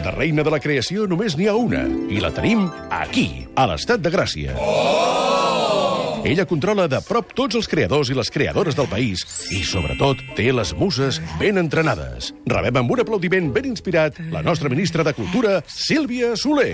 De reina de la creació només n'hi ha una, i la tenim aquí, a l'Estat de Gràcia. Ella controla de prop tots els creadors i les creadores del país i, sobretot, té les muses ben entrenades. Rebem amb un aplaudiment ben inspirat la nostra ministra de Cultura, Sílvia Soler.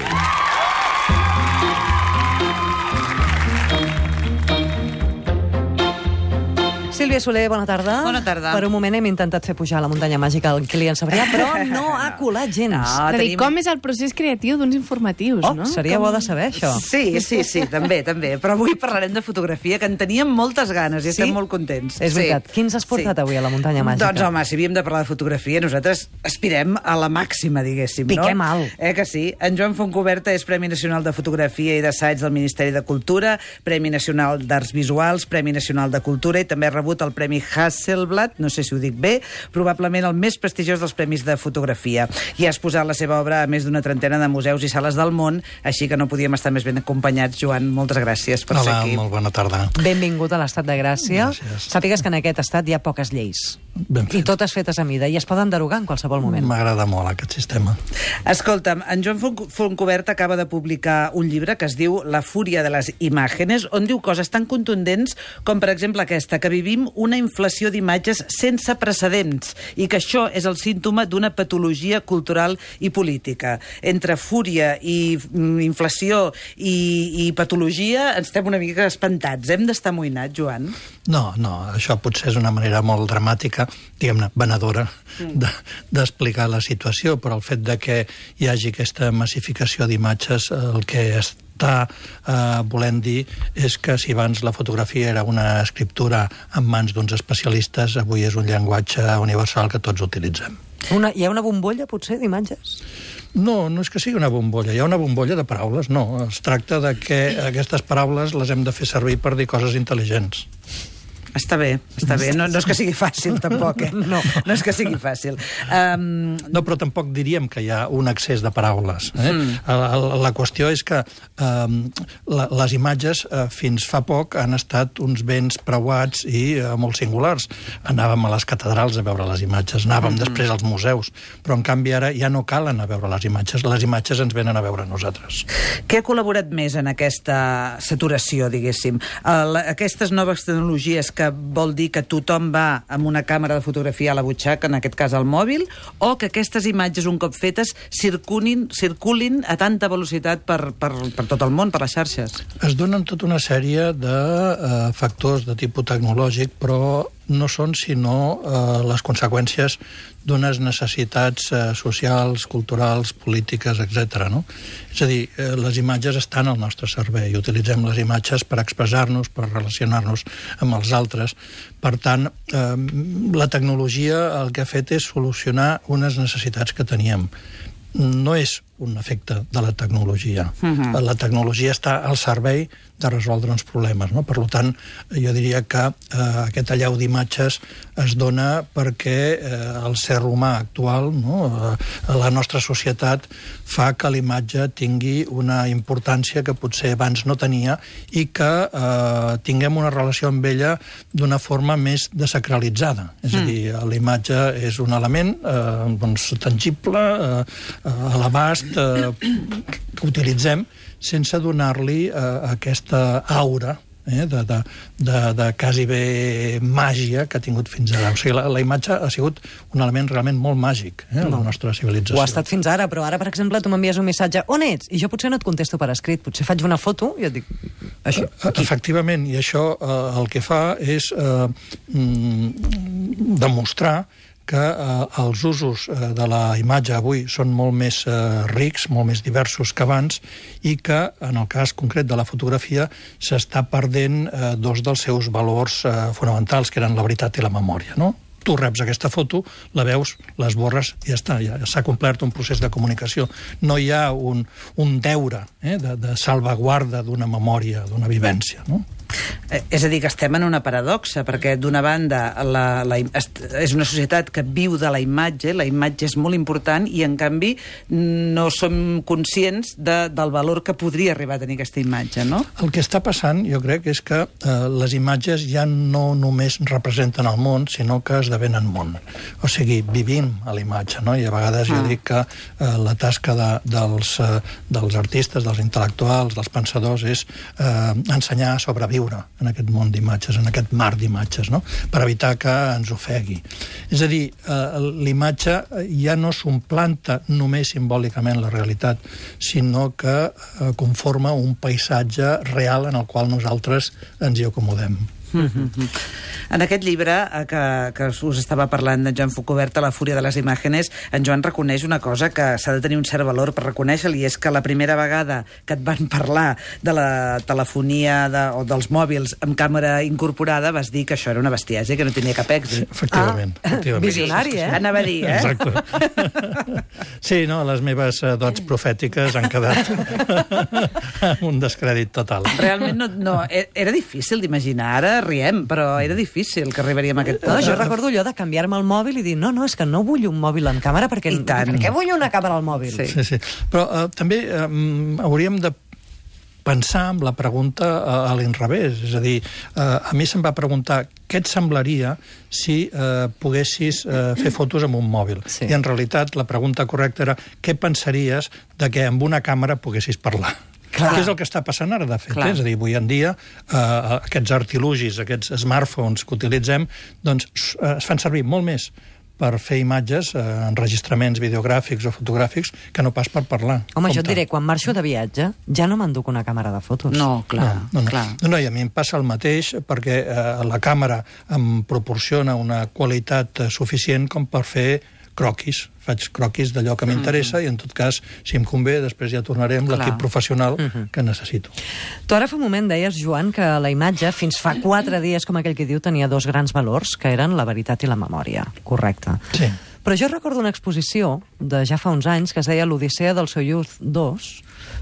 Sílvia Soler, bona tarda. Bona tarda. Per un moment hem intentat fer pujar a la muntanya màgica el Kilian Sabrià, però no ha colat gens. No, Dir, com és el procés creatiu d'uns informatius, no? Seria bo de saber, això. Sí, també. Però avui parlarem de fotografia, que en teníem moltes ganes i estem molt contents. És veritat. Quins has portat avui a la muntanya màgica? Doncs, home, si havíem de parlar de fotografia, nosaltres aspirem a la màxima, diguéssim, no? Piquem alt. Que sí? En Joan Fontcuberta és Premi Nacional de Fotografia i d'Assaig del Ministeri de Cultura, Premi Nacional d'Arts Visuals, Premi Nacional de Cultura i també ha rebut el Premi Hasselblad, no sé si ho dic bé, probablement el més prestigiós dels premis de fotografia. I ha exposat la seva obra a més d'una trentena de museus i sales del món, així que no podíem estar més ben acompanyats. Joan, moltes gràcies per ser aquí. Hola, molt bona tarda. Benvingut a l'Estat de Gràcia. Gràcies. Sàpigues que en aquest estat hi ha poques lleis. Ben fet. I totes fetes a mida, i es poden derogar en qualsevol moment. M'agrada molt aquest sistema. Escolta'm, en Joan Fontcuberta acaba de publicar un llibre que es diu La fúria de les imágenes, on diu coses tan contundents com, per exemple, aquesta, que vivim una inflació d'imatges sense precedents i que això és el símptoma d'una patologia cultural i política. Entre fúria i inflació i patologia ens estem una mica espantats. Hem d'estar amoïnats, Joan? No, això potser és una manera molt dramàtica, diguem-ne, venedora, d'explicar la situació, però el fet de que hi hagi aquesta massificació d'imatges, el que està volent dir és que si abans la fotografia era una escriptura en mans d'uns especialistes, avui és un llenguatge universal que tots utilitzem. Hi ha una bombolla, potser, d'imatges? No és que sigui una bombolla, hi ha una bombolla de paraules, no. Es tracta de que aquestes paraules les hem de fer servir per dir coses intel·ligents. Està bé. No és que sigui fàcil, tampoc, No és que sigui fàcil. No, però tampoc diríem que hi ha un excés de paraules. La qüestió és que les imatges fins fa poc han estat uns béns preuats i molt singulars. Anàvem a les catedrals a veure les imatges, anàvem després als museus, però en canvi ara ja no cal anar a veure les imatges ens venen a veure a nosaltres. Què ha col·laborat més en aquesta saturació, diguéssim? Aquestes noves tecnologies que vol dir que tothom va amb una càmera de fotografia a la butxaca, en aquest cas al mòbil, o que aquestes imatges, un cop fetes, circulin a tanta velocitat per tot el món, per les xarxes? Es donen tota una sèrie de factors de tipus tecnològic, però no són sinó les conseqüències d'unes necessitats socials, culturals, polítiques, etc. No? És a dir, les imatges estan al nostre servei i utilitzem les imatges per expressar-nos, per relacionar-nos amb els altres. Per tant, la tecnologia el que ha fet és solucionar unes necessitats que teníem. No és un efecte de la tecnologia. La tecnologia està al servei de resoldre uns problemes, no? Per tant, jo diria que aquest allau d'imatges es dona perquè el ser humà actual, no? La nostra societat fa que l'imatge tingui una importància que potser abans no tenia i que tinguem una relació amb ella d'una forma més desacralitzada. És a dir, l'imatge és un element tangible, a l'abast, que utilitzem sense donar-li aquesta aura de quasi bé màgia que ha tingut fins ara. O sigui, la imatge ha sigut un element realment molt màgic a la nostra civilització. Ho ha estat fins ara, però ara, per exemple, tu m'envies un missatge: on ets? I jo potser no et contesto per escrit, potser faig una foto i et dic això. Efectivament, i això el que fa és demostrar que els usos de la imatge avui són molt més rics, molt més diversos que abans, i que, en el cas concret de la fotografia, s'està perdent dos dels seus valors fonamentals, que eren la veritat i la memòria, no? Tu reps aquesta foto, la veus, l'esborres i ja està, ja s'ha complert un procés de comunicació. No hi ha un deure de salvaguarda d'una memòria, d'una vivència, no? És a dir, que estem en una paradoxa, perquè d'una banda és una societat que viu de la imatge és molt important i en canvi no som conscients del valor que podria arribar a tenir aquesta imatge, no? El que està passant, jo crec, és que les imatges ja no només representen el món, sinó que esdevenen món. O sigui, vivim a la imatge, no? I a vegades jo dic que la tasca dels artistes, dels intel·lectuals, dels pensadors, és ensenyar a sobreviure en aquest món d'imatges, en aquest mar d'imatges, no? Per evitar que ens ofegui. És a dir, l'imatge ja no s'omplanta només simbòlicament la realitat, sinó que conforma un paisatge real en el qual nosaltres ens hi acomodem. En aquest llibre que us estava parlant de Joan Fontcuberta, La fúria de les imàgenes, en Joan reconeix una cosa que s'ha de tenir un cert valor per reconèixer-li, i és que la primera vegada que et van parlar de la telefonia o dels mòbils amb càmera incorporada vas dir que això era una bestiesa i que no tenia cap èxit. Efectivament. Visionari, Anava a dir, Exacte. Sí, no, les meves dots profètiques han quedat amb un descrèdit total. Realment no, era difícil d'imaginar. Ara riem, però era difícil que arribaríem a aquest punt. No, jo recordo allò de canviar-me el mòbil i dir no, és que no vull un mòbil amb càmera perquè per què vull una càmera al mòbil? Sí. Però també hauríem de pensar en la pregunta a l'inrevés. És a dir, a mi se'm va preguntar què et semblaria si poguessis fer fotos amb un mòbil. Sí. I en realitat la pregunta correcta era què pensaries de que amb una càmera poguessis parlar? Clar. Què és el que està passant ara, de fet? És a dir, avui en dia aquests artilugis, aquests smartphones que utilitzem, doncs es fan servir molt més per fer imatges, enregistraments videogràfics o fotogràfics, que no pas per parlar. Home, jo et diré, quan marxo de viatge, ja no m'enduc una càmera de fotos. No, clar. No, i a mi em passa el mateix, perquè la càmera em proporciona una qualitat suficient com per fer croquis. Faig croquis d'allò que m'interessa i, en tot cas, si em convé, després ja tornaré amb l'equip professional que necessito. Tu ara fa un moment deies, Joan, que la imatge, fins fa 4 dies, com aquell que diu, tenia 2 grans valors, que eren la veritat i la memòria. Correcte. Sí. Però jo recordo una exposició de ja fa uns anys que es deia l'Odissea del Soyuz 2,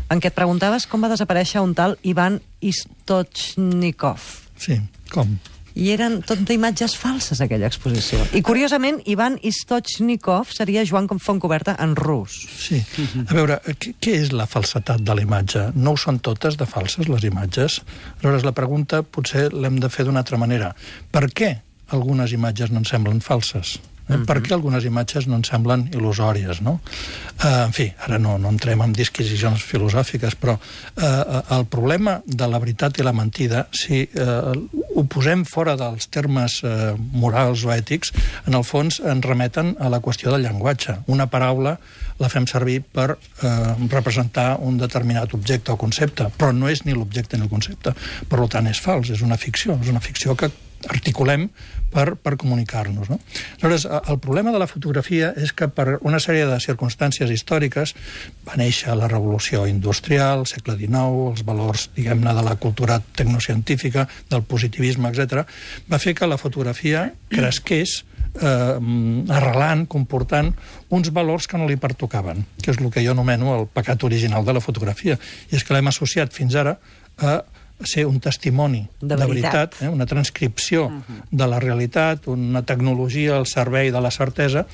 en què et preguntaves com va desaparèixer un tal Ivan Istochnikov. Sí, com? I eren tot d'imatges falses, aquella exposició. I, curiosament, Ivan Istochnikov seria Joan Fontcuberta en rus. Sí. A veure, què és la falsetat de la imatge? No ho són totes de falses, les imatges? Aleshores, la pregunta potser l'hem de fer d'una altra manera. Per què algunes imatges no ens semblen falses? Per què algunes imatges no ens semblen il·lusòries, no? En fi, ara no entrem en disquisicions filosòfiques, però el problema de la veritat i la mentida, si ho posem fora dels termes morals o ètics, en el fons ens remeten a la qüestió del llenguatge. Una paraula la fem servir per representar un determinat objecte o concepte, però no és ni l'objecte ni el concepte. Per tant, és fals, és una ficció que articulem per comunicar-nos, no? Aleshores, el problema de la fotografia és que per una sèrie de circumstàncies històriques va néixer la revolució industrial, segle XIX, els valors, diguem-ne, de la cultura tecnocientífica, del positivisme, etc., va fer que la fotografia cresqués arrelant, comportant uns valors que no li pertocaven, que és el que jo anomeno el pecat original de la fotografia. I és que l'hem associat fins ara a ser un testimoni de veritat, una transcripció de la realitat, una tecnologia al servei de la certesa,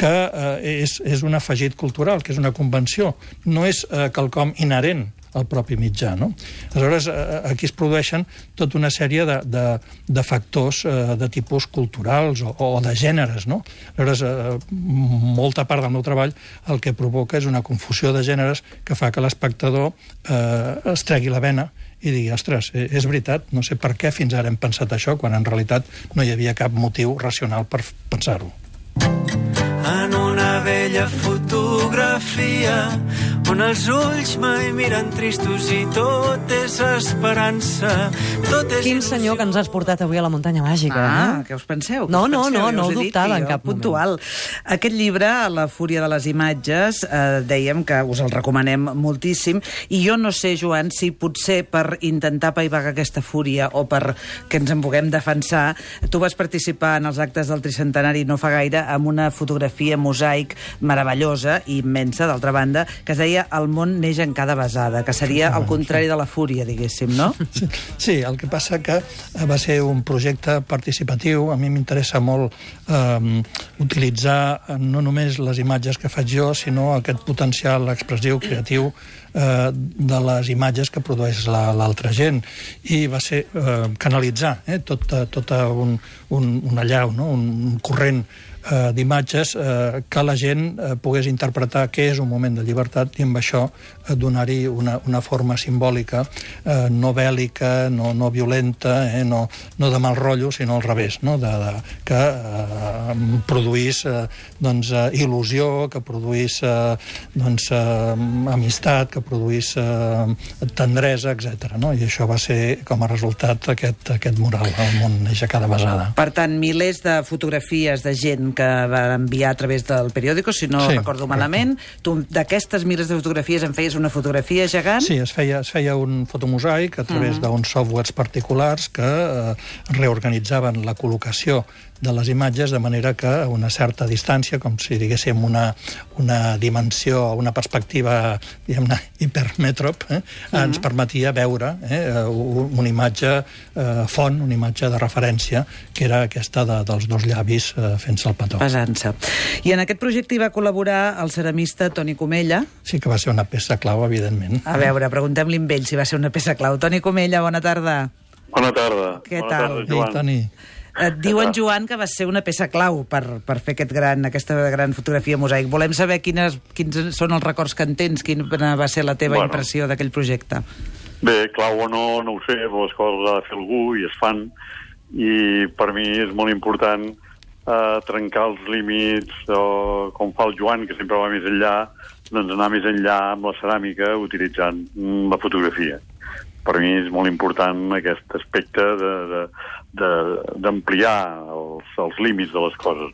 que és un afegit cultural, que és una convenció. No és quelcom inherent al propi mitjà, no? Aleshores, aquí es produeixen tota una sèrie de factors de tipus culturals o de gèneres, no? Aleshores, molta part del meu treball el que provoca és una confusió de gèneres que fa que l'espectador es tregui la vena i digui, ostres, és veritat, no sé per què fins ara hem pensat això, quan en realitat no hi havia cap motiu racional per pensar-ho. En una vella fotografia on els ulls mai miren tristos i tot és esperança, tot és Quin senyor que ens has portat avui a la muntanya màgica, què us penseu? No ho dubtava en cap puntual. moment. Aquest llibre, La fúria de les imatges, dèiem que us el recomanem moltíssim, i jo no sé, Joan, si potser per intentar apaivagar aquesta fúria o per que ens en puguem defensar, tu vas participar en els actes del tricentenari no fa gaire amb una fotografia mosaic meravellosa i immensa, d'altra banda, que es deia deia El món neix en cada besada, que seria el contrari de la fúria, diguéssim, no? Sí, el que passa que va ser un projecte participatiu. A mi m'interessa molt utilitzar no només les imatges que faig jo, sinó aquest potencial expressiu, creatiu, de les imatges que produeix l'altra gent. I va ser canalitzar tot un allau, no? Un corrent d'imatges que la gent pogués interpretar què és un moment de llibertat i amb això donar-hi una forma simbòlica no bèl·lica, no violenta, no de mal rotllo, sinó al revés, no? Que produís il·lusió, que produís amistat, que produís tendresa, etc. No? I això va ser com a resultat aquest mural, El món neix a cada besada. Per tant, milers de fotografies de gent que va enviar a través del periòdico, si no recordo malament. Tu d'aquestes milers de fotografies en feies una fotografia gegant? Sí, es feia un fotomosaic a través d'uns softwares particulars que reorganitzaven la col·locació de les imatges de manera que a una certa distància, com si diguéssim una dimensió, una perspectiva, diguem-ne, hipermètrop, ens permetia veure una imatge font, una imatge de referència, que era aquesta dels dos llavis fent-se el petó. Pesant-se. I en aquest projecte hi va col·laborar el ceramista Toni Comella. Sí que va ser una peça clau, evidentment. A veure, preguntem-li amb ell si va ser una peça clau. Toni Comella, bona tarda. Bona tarda. Què bona tal? Tarda, Joan. Ei, Toni. Et diuen, Joan, que va ser una peça clau per fer aquesta gran fotografia mosaic. Volem saber quins són els records que en tens, quina va ser la teva impressió d'aquell projecte. Bé, clau o no ho sé, però les coses ha de fer algú i es fan, i per mi és molt important trencar els límits, com fa el Joan, que sempre va més enllà, doncs anar més enllà amb la ceràmica utilitzant la fotografia. Per mi és molt important aquest aspecte d'ampliar els límits de les coses.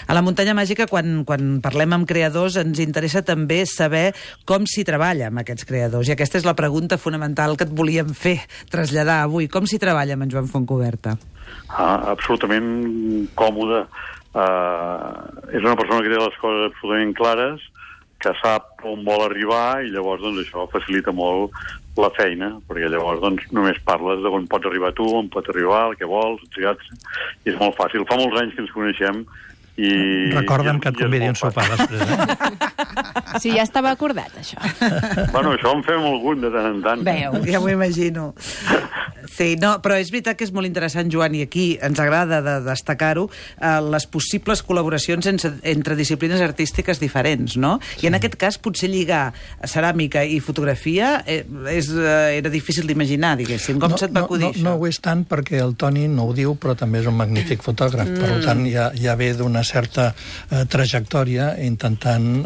A la Muntanya Màgica, quan parlem amb creadors, ens interessa també saber com s'hi treballa amb aquests creadors. I aquesta és la pregunta fonamental que et volíem fer, traslladar avui. Com s'hi treballa amb en Joan Fontcuberta? Absolutament còmode. És una persona que té les coses absolutament clares, que sap on vol arribar, i llavors doncs, això facilita molt la feina, perquè llavors doncs, només parles on pots arribar tu, on pots arribar, el que vols, i és molt fàcil. Fa molts anys que ens coneixem i... Recorda'm que et convidi un sopar després, Sí, ja estava acordat, això. Bueno, això en fem algun de tant en tant. Veu, ja m'ho imagino. Sí, no, però és veritat que és molt interessant, Joan, i aquí ens agrada destacar-ho, les possibles col·laboracions entre disciplines artístiques diferents, no? I en aquest cas, potser lligar ceràmica i fotografia era difícil d'imaginar, diguéssim. Com se't va acudir això? No ho és tant perquè el Toni no ho diu, però també és un magnífic fotògraf. Per tant, ja ve d'una certa trajectòria intentant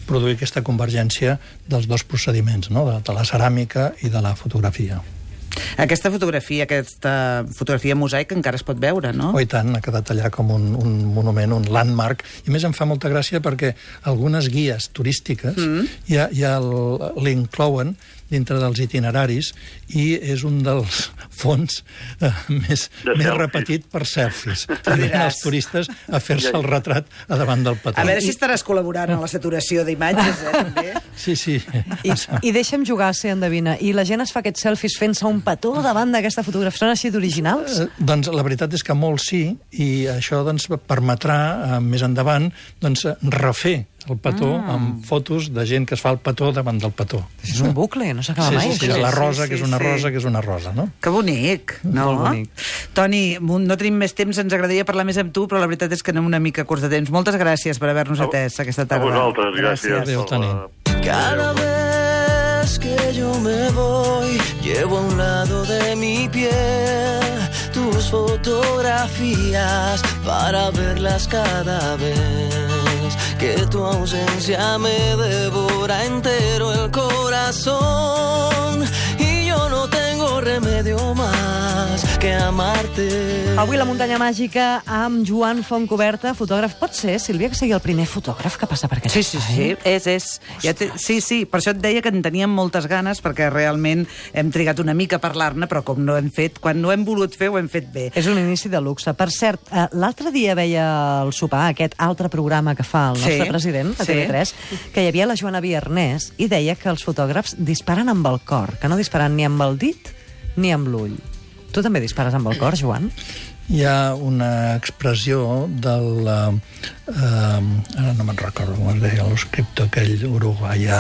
produir aquesta convergència dels dos procediments, no? De la ceràmica i de la fotografia. Aquesta fotografia mosaic encara es pot veure, no? Oh, i tant, ha quedat allà com un monument, un landmark. I a més em fa molta gràcia perquè algunes guies turístiques ja l'inclouen dintre dels itineraris i és un dels fons més repetit per selfies. Venen els turistes a fer-se el retrat a davant del petó. A veure si estaràs col·laborant en la saturació d'imatges, també. Sí. I deixa'm jugar a ser endevina. I la gent es fa aquests selfies fent-se un petó davant d'aquesta fotografia. Són així d'originals? Doncs la veritat és que molts sí, i això doncs, permetrà més endavant refer el petó amb fotos de gent que es fa el petó davant del petó. És un bucle, no s'acaba mai. Sí, la rosa, que és una rosa, que és una rosa, no? Que bonic, no? Molt bonic. Toni, no tenim més temps, ens agradaria parlar més amb tu, però la veritat és que anem una mica curts de temps. Moltes gràcies per haver-nos atès aquesta tarda. A vosaltres, gràcies. Adéu, Toni. Cada vez que yo me voy, llevo a un lado de mi piel tus fotografías para verlas cada vez que tu ausencia me devora entero el corazón y yo no tengo remedio más que amarte. Avui la muntanya màgica amb Joan Fontcuberta, fotògraf. Pot ser, Sílvia, que sigui el primer fotògraf que passa per aquest Sí, és. Sí, per això et deia que en teníem moltes ganes, perquè realment hem trigat una mica a parlar-ne, però com no hem fet, quan no hem volut fer, ho hem fet bé. És un inici de luxe. Per cert, l'altre dia veia el sopar, aquest altre programa que fa el nostre president, a TV3, que hi havia la Joana Biernès, i deia que els fotògrafs disparen amb el cor, que no disparen ni amb el dit ni amb l'ull. Tu també dispares amb el cor, Joan? Hi ha una expressió del... ara no me'n recordo com es deia, l'escriptor aquell uruguaià,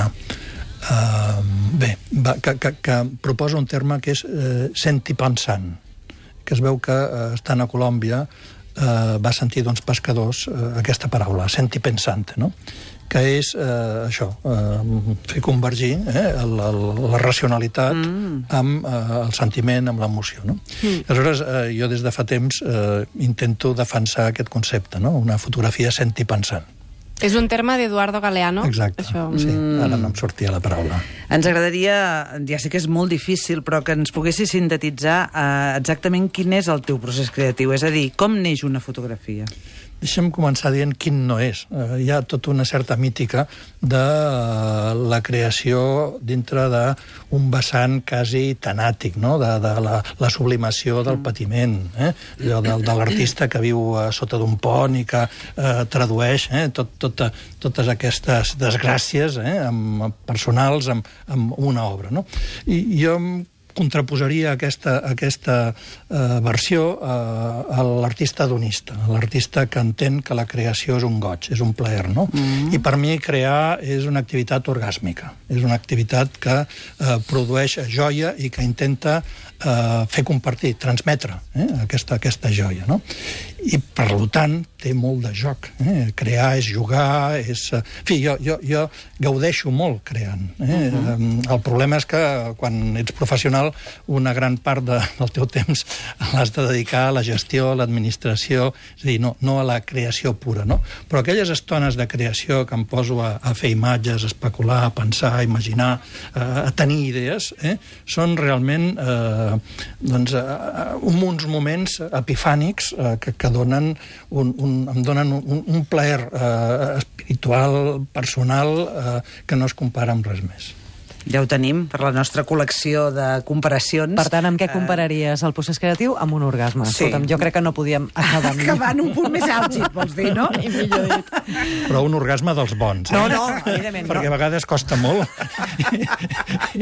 que proposa un terme que és sentipensant, que es veu que estant a Colòmbia va sentir d'uns pescadors aquesta paraula, sentipensante, no? Que és això, fer convergir la racionalitat amb el sentiment, amb l'emoció. No? Aleshores, jo des de fa temps intento defensar aquest concepte, no? Una fotografia sentipensant. És un terme d'Eduardo Galeano. Exacte, això. Sí, ara no em sortia la paraula. Ens agradaria, ja sé que és molt difícil, però que ens poguessis sintetitzar exactament quin és el teu procés creatiu, és a dir, com neix una fotografia? Deixa'm començar dient quin no és. Hi ha tota una certa mítica de la creació dintre d'un vessant quasi tanàtic, no? De la sublimació del patiment, allò de l'artista que viu sota d'un pont i que tradueix totes aquestes desgràcies personals amb una obra. No? I jo contraposaria aquesta versió a l'artista hedonista, l'artista que entén que la creació és un goig, és un plaer, no? I per mi crear és una activitat orgàsmica, és una activitat que produeix joia i que intenta fer compartir, transmetre aquesta joia, no? I, per tant, té molt de joc. Crear és jugar, és... En fi, jo gaudeixo molt creant. El problema és que quan ets professional una gran part del teu temps l'has de dedicar a la gestió, a l'administració, és a dir, no a la creació pura, no? Però aquelles estones de creació que em poso a fer imatges, a especular, a pensar, a imaginar, a tenir idees, són realment uns moments epifànics que em donen un plaer espiritual, personal, que no es compara amb res més. Ja ho tenim per la nostra col·lecció de comparacions. Per tant, amb què compararies el procés creatiu? Amb un orgasme. Sí. Escolta'm, jo crec que no podíem acabar amb... Acabar en un punt més àlgid, vols dir, no? I millor dit. Però un orgasme dels bons. No, evidentment. Perquè a vegades costa molt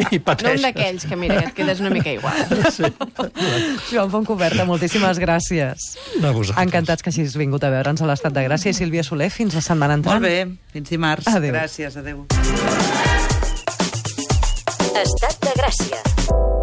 i pateixes. No un d'aquells que, mira, et quedes una mica igual. Sí. Joan Fontcuberta, moltíssimes gràcies. A vosaltres. Encantats que hagis vingut a veure'ns a l'Estat de Gràcia. I Sílvia Soler, fins la setmana entrant. Molt bé, fins dimarts. Adéu. Gràcies, adéu. Estat de Gràcia.